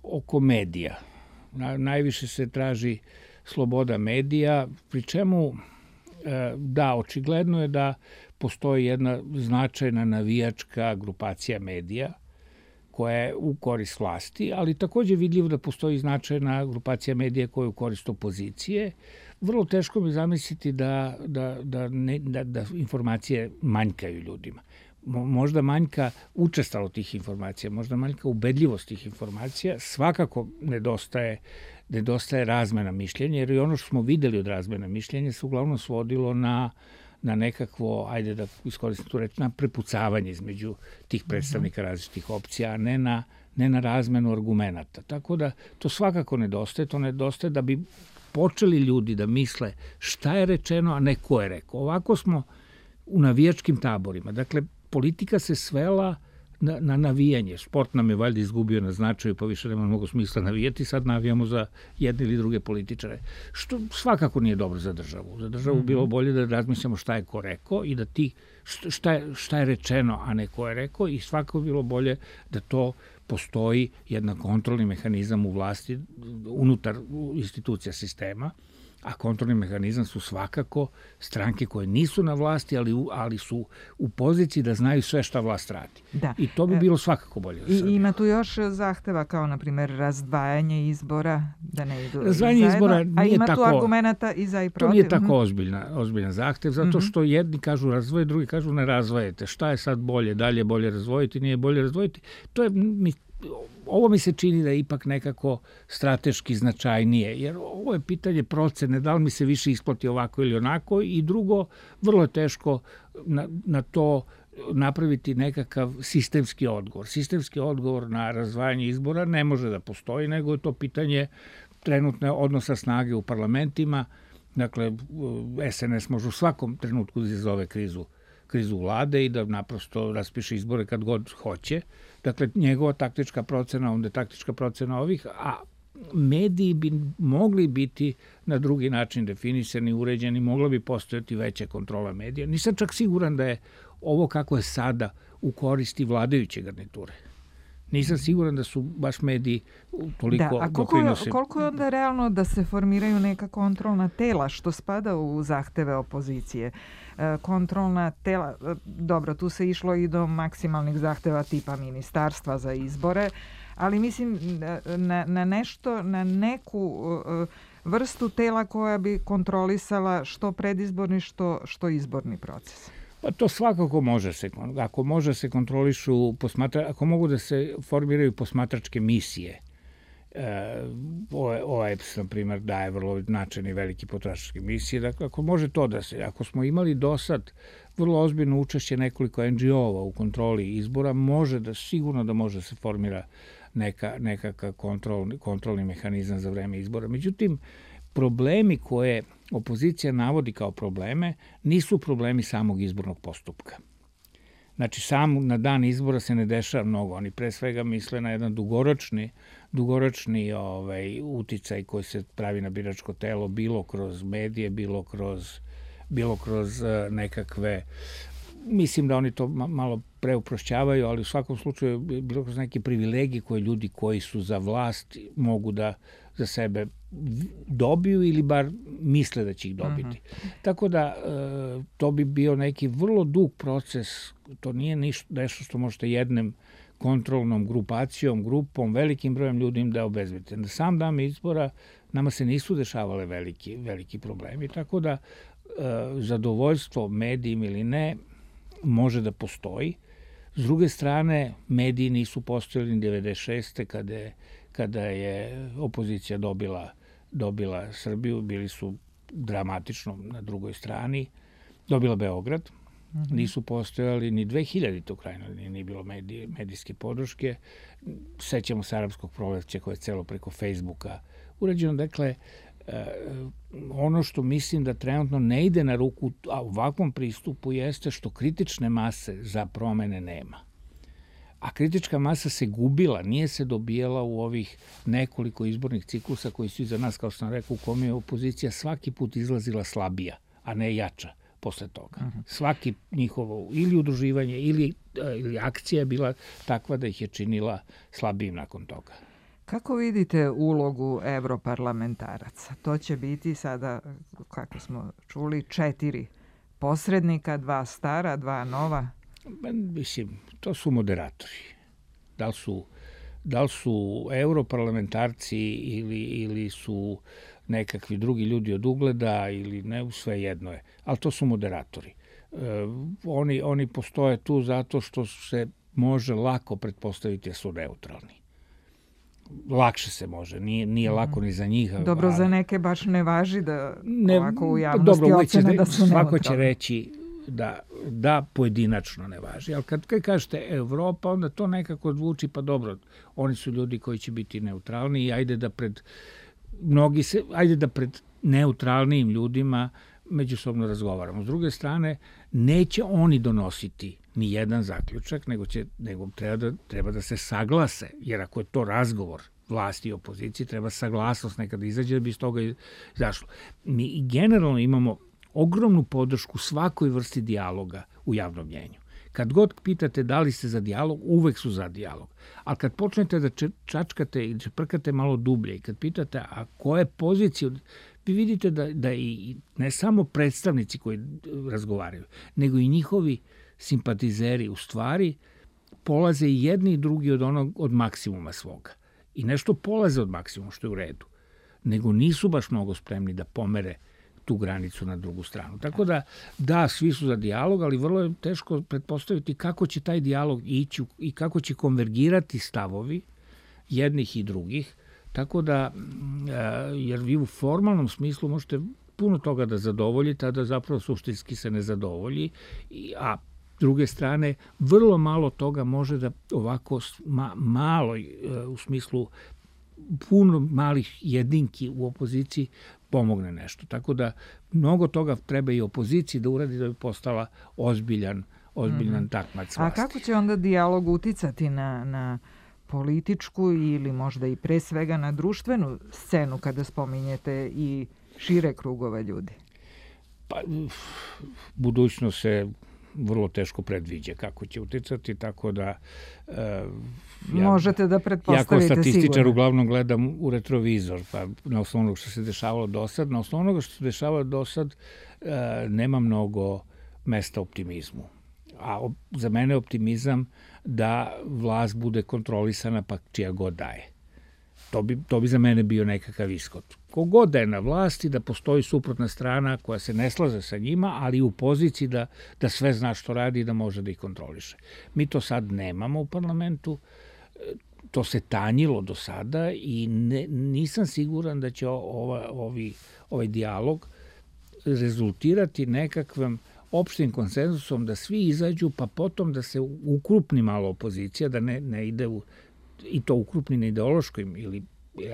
oko medija. Najviše se traži sloboda medija, pri čemu, da, očigledno je da postoji jedna značajna navijačka grupacija medija koja je u korist vlasti, ali također vidljivo da postoji značajna grupacija medija koja je u korist opozicije. Vrlo teško mi zamisliti da informacije manjkaju ljudima. Možda manjka učestalo tih informacija, možda manjka ubedljivost tih informacija, svakako nedostaje razmena mišljenja, jer i ono što smo videli od razmena mišljenja se uglavnom svodilo na na nekakvo, ajde da iskoristim tu reč, na prepucavanje između tih predstavnika različitih opcija, a ne na razmenu argumenata. Tako da to svakako nedostaje, to nedostaje da bi počeli ljudi da misle šta je rečeno, a ne ko je rekao. Ovako smo u navijačkim taborima. Dakle, politika se svela na navijanje. Sport nam je valjda izgubio na značaju, pa više nema mnogo smisla navijati, sad navijamo za jedne ili druge političare. Što svakako nije dobro za državu. Za državu bilo bolje da razmišljamo šta je ko rekao i da šta je rečeno, a ne ko je rekao, i svakako bilo bolje da to postoji jedan kontrolni mehanizam u vlasti unutar institucija sistema, a kontrolni mehanizam su svakako stranke koje nisu na vlasti, ali su u poziciji da znaju sve šta vlast radi. Da. I to bi bilo svakako bolje. Ima tu još zahteva kao, na primjer, razdvajanje izbora, da ne idu razdvajanje zajedno, izbora nije a ima tako, tu argumenta i za i protiv. To nije tako ozbiljan zahtev, zato što jedni kažu razvoje, drugi kažu ne razvojete. Šta je sad bolje? Da li je bolje razvojiti, nije bolje razvojiti? Ovo mi se čini da je ipak nekako strateški značajnije, jer ovo je pitanje procene, da li mi se više isplati ovako ili onako, i drugo, vrlo je teško na to napraviti nekakav sistemski odgovor. Sistemski odgovor na razdvajanje izbora ne može da postoji, nego je to pitanje trenutne odnosa snage u parlamentima. Dakle, SNS može u svakom trenutku da izazove krizu vlade i da naprosto raspiše izbore kad god hoće. Dakle, njegova taktička procena, onda je taktička procena ovih, a mediji bi mogli biti na drugi način definisani, uređeni, mogla bi postojati veća kontrola medija. Nisam čak siguran da je ovo kako je sada u koristi vladajuće garniture. Nisam siguran da su baš mediji toliko doprinose. A koliko je onda realno da se formiraju neka kontrolna tela, što spada u zahteve opozicije? Kontrolna tela, dobro, tu se išlo i do maksimalnih zahteva tipa ministarstva za izbore, ali mislim na nešto, na neku vrstu tela koja bi kontrolisala što predizborni, što izborni proces. Pa to svakako može se, ako može se kontrolišu, ako mogu da se formiraju posmatračke misije. OEBS, na primjer, daje vrlo značajne i velike posmatračke misije. Dakle, ako može to da se, ako smo imali do sad vrlo ozbiljno učešće nekoliko NGO-ova u kontroli izbora, sigurno da može se formira nekakav kontrolni mehanizam za vreme izbora. Međutim, problemi koje opozicija navodi kao probleme nisu problemi samog izbornog postupka. Znači, sam na dan izbora se ne dešava mnogo. Oni pre svega misle na jedan dugoročni uticaj koji se pravi na biračko telo, bilo kroz medije, bilo kroz nekakve... Mislim da oni to malo preuprošćavaju, ali u svakom slučaju bilo kroz neke privilegije koje ljudi koji su za vlast mogu da za sebe dobiju ili bar misle da će ih dobiti. Tako da to bi bio neki vrlo dug proces, to nije nešto što možete jednom kontrolnom grupom, velikim brojem ljudi da obezbedite. Na sam dan izbora nama se nisu dešavale veliki problemi, tako da zadovoljstvo medijim ili ne može da postoji. S druge strane, mediji nisu postojali ni 96. kada je opozicija dobila Srbiju, bili su dramatično na drugoj strani, dobila Beograd, nisu postojali ni 2000. u krajnjoj, nije bilo medijske podrške. Sećamo se arapskog proleća koje je celo preko Facebooka urađeno. Dakle, ono što mislim da trenutno ne ide na ruku ovakvom pristupu jeste što kritične mase za promene nema. A kritička masa se gubila, nije se dobijala u ovih nekoliko izbornih ciklusa koji su iza nas, kao što sam rekao, u kome je opozicija svaki put izlazila slabija, a ne jača posle toga. Svaki njihovo ili udruživanje ili akcija je bila takva da ih je činila slabijim nakon toga. Kako vidite ulogu evroparlamentaraca? To će biti sada, kako smo čuli, 4 posrednika, 2 stara, 2 nova. Mislim, to su moderatori. Da li su europarlamentarci ili su nekakvi drugi ljudi od ugleda ili ne, sve jedno je. Ali to su moderatori. Oni postoje tu zato što se može lako pretpostaviti da su neutralni. lakše se može, nije lako ni za njih. Dobro, za neke baš ne važi da ovako u javnosti ocene da su neutralni. Svako će reći da pojedinačno ne važi. Ali kad kažete Evropa, onda to nekako zvuči, pa dobro, oni su ljudi koji će biti neutralni i ajde da pred neutralnijim ljudima međusobno razgovaramo. S druge strane, neće oni donositi ni jedan zaključak, nego treba da se saglase, jer ako je to razgovor vlasti i opozicije, treba saglasnost nekada izađe da bi iz toga izašlo. Mi generalno imamo ogromnu podršku svakoj vrsti dijaloga u javnom mnjenju. Kad god pitate da li ste za dijalog, uvek su za dijalog. Ali kad počnete da čačkate i čeprkate malo dublje i kad pitate a koje pozicije, vi vidite da i ne samo predstavnici koji razgovaraju, nego i njihovi simpatizeri u stvari polaze i jedni i drugi od maksimuma svoga. I nešto polaze od maksimuma, što je u redu. Nego nisu baš mnogo spremni da pomere tu granicu na drugu stranu. Tako da, svi su za dijalog, ali vrlo je teško pretpostaviti kako će taj dijalog ići i kako će konvergirati stavovi jednih i drugih. Tako da, jer vi u formalnom smislu možete puno toga da zadovoljite, a da zapravo suštinski se ne zadovolji, a s druge strane, vrlo malo toga može da ovako malo, u smislu puno malih jedinki u opoziciji pomogne nešto. Tako da mnogo toga treba i opoziciji da uradi da bi postala ozbiljan takmac vlasti. A kako će onda dijalog uticati na političku ili možda i pre svega na društvenu scenu kada spominjete i šire krugove ljudi? Pa, budućnost se vrlo teško predviđa kako će uticati, tako da možete da pretpostavite sigurno. Ja kao statističar uglavnom gledam u retrovizor, pa na osnovu onoga što se dešavalo do sad. Na osnovu onoga što se dešavalo do sad nema mnogo mesta optimizmu. A za mene je optimizam da vlast bude kontrolisana pa čija god daje. To bi za mene bio nekakav ishod. Kogod da je na vlasti, da postoji suprotna strana koja se ne slaže sa njima, ali u poziciji da sve zna što radi i da može da ih kontroliše. Mi to sad nemamo u parlamentu, to se tanjilo do sada i nisam siguran da će ovaj dijalog rezultirati nekakvim opštim konsenzusom da svi izađu, pa potom da se ukrupni malo opozicija, da ne ide i to ukrupni na ideološkim ili,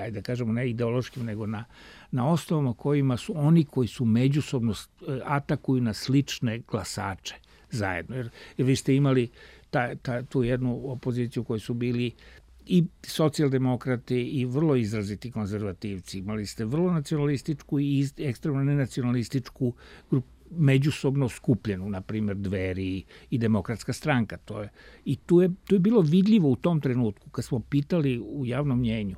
ajde da kažemo, ne ideološkim, nego na osnovama kojima su oni koji su međusobno atakuju na slične glasače zajedno. Jer vi ste imali tu jednu opoziciju koji su bili i socijaldemokrati i vrlo izraziti konzervativci. Imali ste vrlo nacionalističku i ekstremno nenacionalističku grupu međusobno skupljenu, na primjer Dveri i Demokratska stranka. I tu je bilo vidljivo u tom trenutku, kad smo pitali u javnom mnjenju,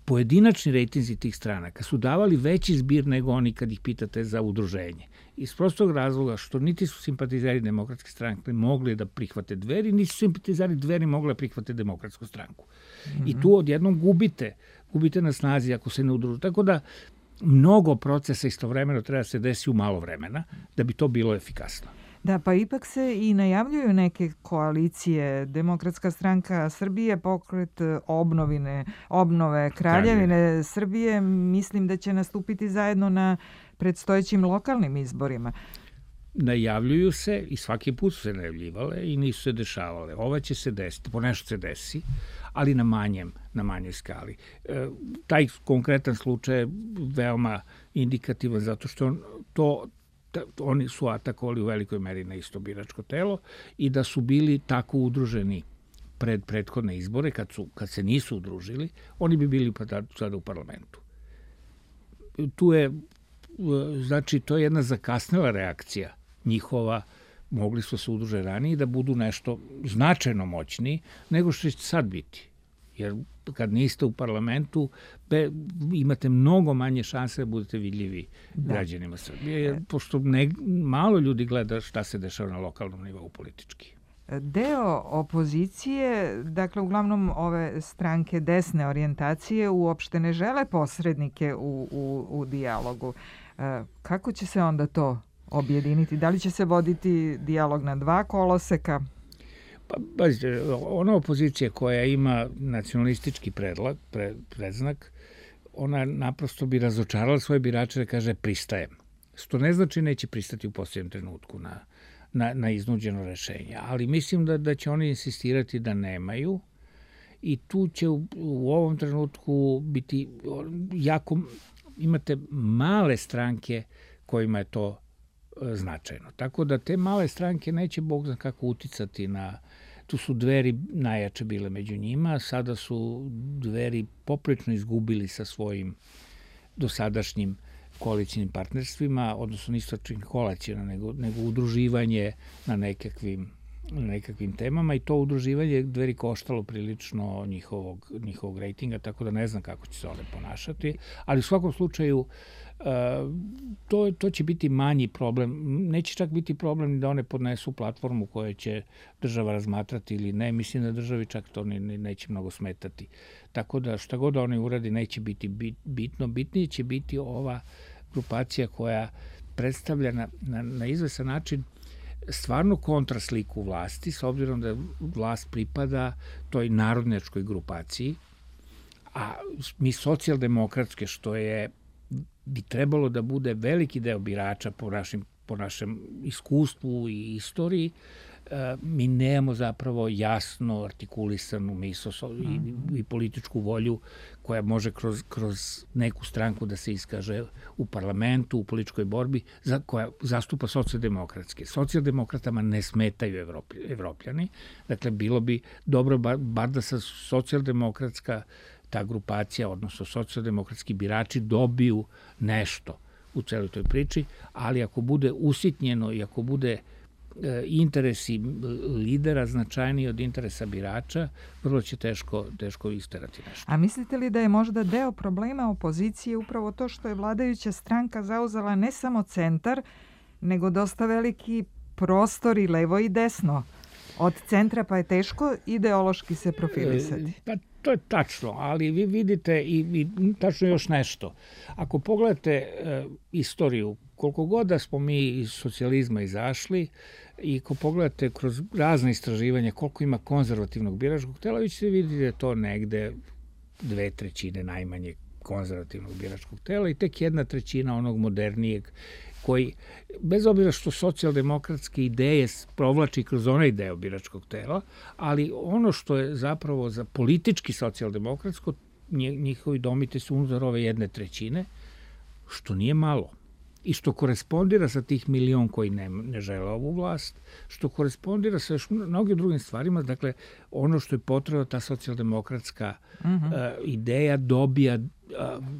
pojedinačni rejtinzi tih stranaka su davali veći zbir nego oni kad ih pitate za udruženje. Iz prostog razloga što niti su simpatizeri Demokratske stranke mogli da prihvate Dveri, niti su simpatizeri Dveri mogli da prihvate Demokratsku stranku. I tu odjednom gubite na snazi ako se ne udružu. Tako da mnogo procesa istovremeno treba se desi u malo vremena da bi to bilo efikasno. Da, pa ipak se i najavljuju neke koalicije. Demokratska stranka Srbije, Pokret obnove Kraljevine Srbije, mislim da će nastupiti zajedno na predstojećim lokalnim izborima. Najavljuju se i svaki put su se najavljivale i nisu se dešavale. Ova će se desiti, po nešto se desi, ali na manjoj skali. Taj konkretan slučaj je veoma indikativan zato što oni su atakovali u velikoj meri na isto biračko telo i da su bili tako udruženi pred prethodne izbore, kad se nisu udružili, oni bi bili sada u parlamentu. To je jedna zakasnela reakcija njihova, mogli su se udruže ranije da budu nešto značajno moćniji nego što će sad biti. Jer kad niste u parlamentu, imate mnogo manje šanse da budete vidljivi građanima Srbije, jer pošto malo ljudi gleda šta se dešava na lokalnom nivou politički. Deo opozicije, dakle uglavnom ove stranke desne orijentacije, uopšte ne žele posrednike u dijalogu. Kako će se onda to objediniti? Da li će se voditi dijalog na dva koloseka? Pazite, ona opozicija koja ima nacionalistički predznak, ona naprosto bi razočarala svoje birače da kaže pristajem. Što ne znači neće pristati u posljednjem trenutku na iznuđeno rešenje. Ali mislim da će oni insistirati da nemaju i tu će u ovom trenutku biti jako... Imate male stranke kojima je to značajno. Tako da te male stranke neće Bog zna kako uticati na... Tu su Dveri najjače bile među njima, sada su Dveri poprično izgubili sa svojim dosadašnjim koalicijnim partnerstvima, odnosno nisu koalicijno, nego udruživanje na nekakvim temama i to udruživanje Dveri koštalo prilično njihovog rejtinga, tako da ne znam kako će se one ponašati, ali u svakom slučaju to će biti manji problem. Neće čak biti problem da one podnesu platformu koju će država razmatrati ili ne. Mislim da državi čak to neće mnogo smetati. Tako da šta god oni uradi neće biti bitno. Bitnije će biti ova grupacija koja predstavlja na izvesan način stvarno kontrasliku vlasti, s obzirom da vlast pripada toj narodnjačkoj grupaciji, a mi socijaldemokratske, što bi trebalo da bude veliki deo birača po našem iskustvu i istoriji, mi nemamo zapravo jasno artikulisanu misao i političku volju koja može kroz neku stranku da se iskaže u parlamentu, u političkoj borbi, koja zastupa socijaldemokratske. Socijaldemokratama ne smetaju Evropljani, dakle bilo bi dobro bar da sa socijaldemokratska ta grupacija, odnosno socijaldemokratski birači dobiju nešto u celoj toj priči, ali ako bude usitnjeno i ako bude interesi lidera značajniji od interesa birača, vrlo će teško isterati nešto. A mislite li da je možda deo problema opozicije upravo to što je vladajuća stranka zauzela ne samo centar, nego dosta veliki prostor i levo i desno? Od centra pa je teško ideološki se profilisati. Pa to je tačno, ali vi vidite i tačno još nešto. Ako pogledate istoriju, koliko god da smo mi iz socijalizma izašli i ako pogledate kroz razne istraživanja koliko ima konzervativnog biračkog tela, vi ćete vidjeti da je to negde 2/3 najmanje konzervativnog biračkog tela i tek 1/3 onog modernijeg koji, bez obzira što socijaldemokratske ideje provlači kroz onaj deo biračkog tela, ali ono što je zapravo za politički socijaldemokratsko, njihovi domite su unutar ove 1/3, što nije malo. I što korespondira sa tih milion koji ne žele ovu vlast, što korespondira sa još mnogim drugim stvarima. Dakle, ono što je potrebno, ta socijaldemokratska ideja dobija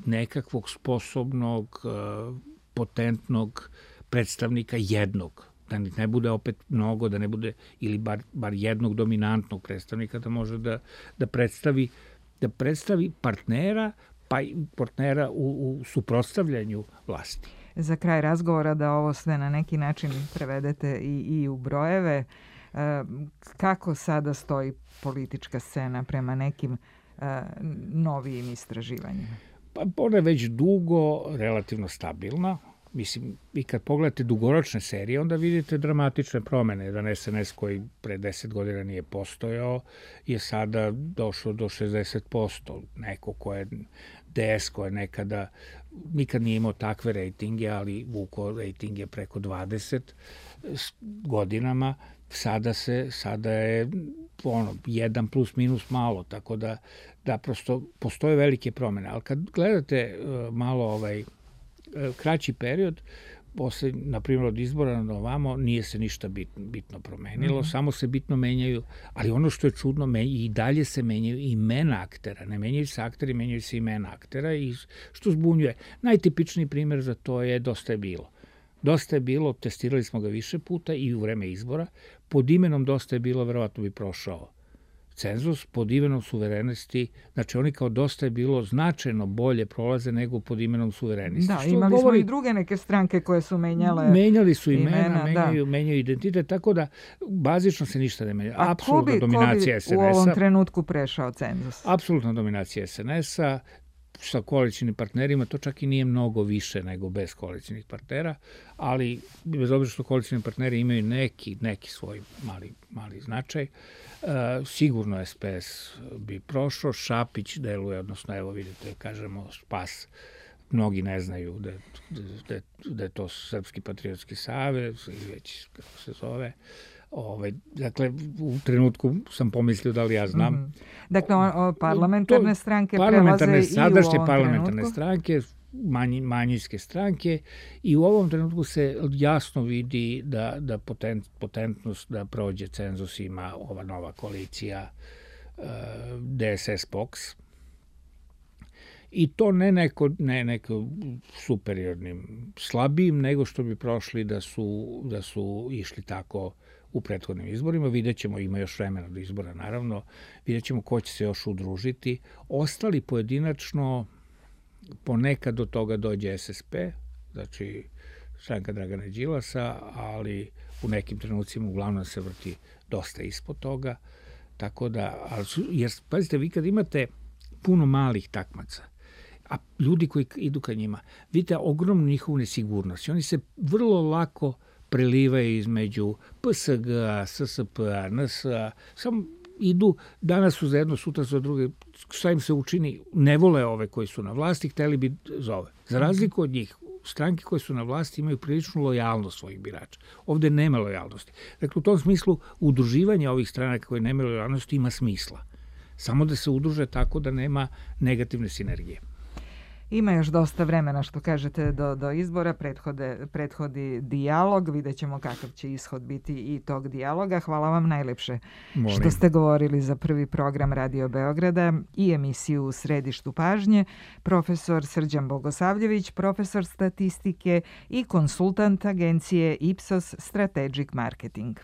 nekakvog sposobnog, potentnog predstavnika jednog. Da ne bude opet mnogo, da ne bude, ili bar jednog dominantnog predstavnika da može da predstavi partnera, pa i partnera u suprotstavljanju vlasti. Za kraj razgovora da ovo sve na neki način prevedete i u brojeve, kako sada stoji politička scena prema nekim novijim istraživanjima? Pa ona je već dugo relativno stabilna. Mislim, i kad pogledate dugoročne serije, onda vidite dramatične promene. Jedan SNS koji pre 10 godina nije postojao je sada došao do 60%. Neko ko je DS, ko je nekada nikad nije imao takve rejtinge, ali vuko rejtinge preko 20 godinama, sada je 1 plus minus malo, tako da prosto postoje velike promene. Ali kad gledate malo kraći period, posle, na primjer, od izbora na ovamo, nije se ništa bitno promenilo, samo se bitno menjaju, ali ono što je čudno, i dalje se menjaju imena aktera, ne menjaju se akteri, menjaju se imena aktera, i što zbunjuje. Najtipičniji primjer za to je Dosta je bilo. Dosta je bilo, testirali smo ga više puta i u vreme izbora, pod imenom Dosta je bilo, verovatno bi prošao cenzus, pod imenom Suverenisti, znači oni kao Dosta je bilo značajno bolje prolaze nego pod imenom Suverenisti. Da, imali smo i druge neke stranke koje su menjali su imena, menjaju identitet, tako da bazično se ništa ne menja. Apsolutna dominacija SNS-a. U ovom trenutku prešao cenzus? Apsolutna dominacija SNS-a, sa koalicijnim partnerima, to čak i nije mnogo više nego bez koalicijnih partnera, ali bez obzira što koalicijni partneri imaju neki svoj mali značaj, sigurno SPS bi prošao, Šapić deluje, odnosno evo vidite, kažemo Spas, mnogi ne znaju da je to Srpski patriotski savez, već kako se zove. Dakle, u trenutku sam pomislio da li ja znam. Dakle, parlamentarne stranke prelaze i u ovom trenutku? Sadašnje parlamentarne stranke, manjinske stranke, i u ovom trenutku se jasno vidi da potentnost da prođe cenzus ima ova nova koalicija DSS-POKS. I to ne neko superiornim, slabijim, nego što bi prošli da su išli tako u prethodnim izborima. Vidjet ćemo, ima još vremena do izbora, naravno, vidjet ćemo ko će se još udružiti. Ostali pojedinačno, ponekad do toga dođe SSP, znači stranka Dragana Đilasa, ali u nekim trenucima uglavnom se vrti dosta ispod toga. Tako da, jer pazite, vi kad imate puno malih takmaca, a ljudi koji idu ka njima, vidite ogromnu njihovu nesigurnost. Oni se vrlo lako prelivaju između PSG-a, SSP-a, NS-a, samo idu, danas su za jedno, sutra za druge, šta im se učini, ne vole ove koji su na vlasti, hteli bi za ove. Za razliku od njih, stranke koje su na vlasti imaju priličnu lojalnost svojih birača. Ovde nema lojalnosti. Dakle, u tom smislu, udruživanje ovih stranaka koje nemaju lojalnosti ima smisla. Samo da se udruže tako da nema negativne sinergije. Ima još dosta vremena, što kažete, do izbora, prethodi dijalog, vidjet ćemo kakav će ishod biti i tog dijaloga. Hvala vam najlepše što ste govorili za prvi program Radio Beograda i emisiju U središtu pažnje. Profesor Srđan Bogosavljević, profesor statistike i konsultant agencije Ipsos Strategic Marketing.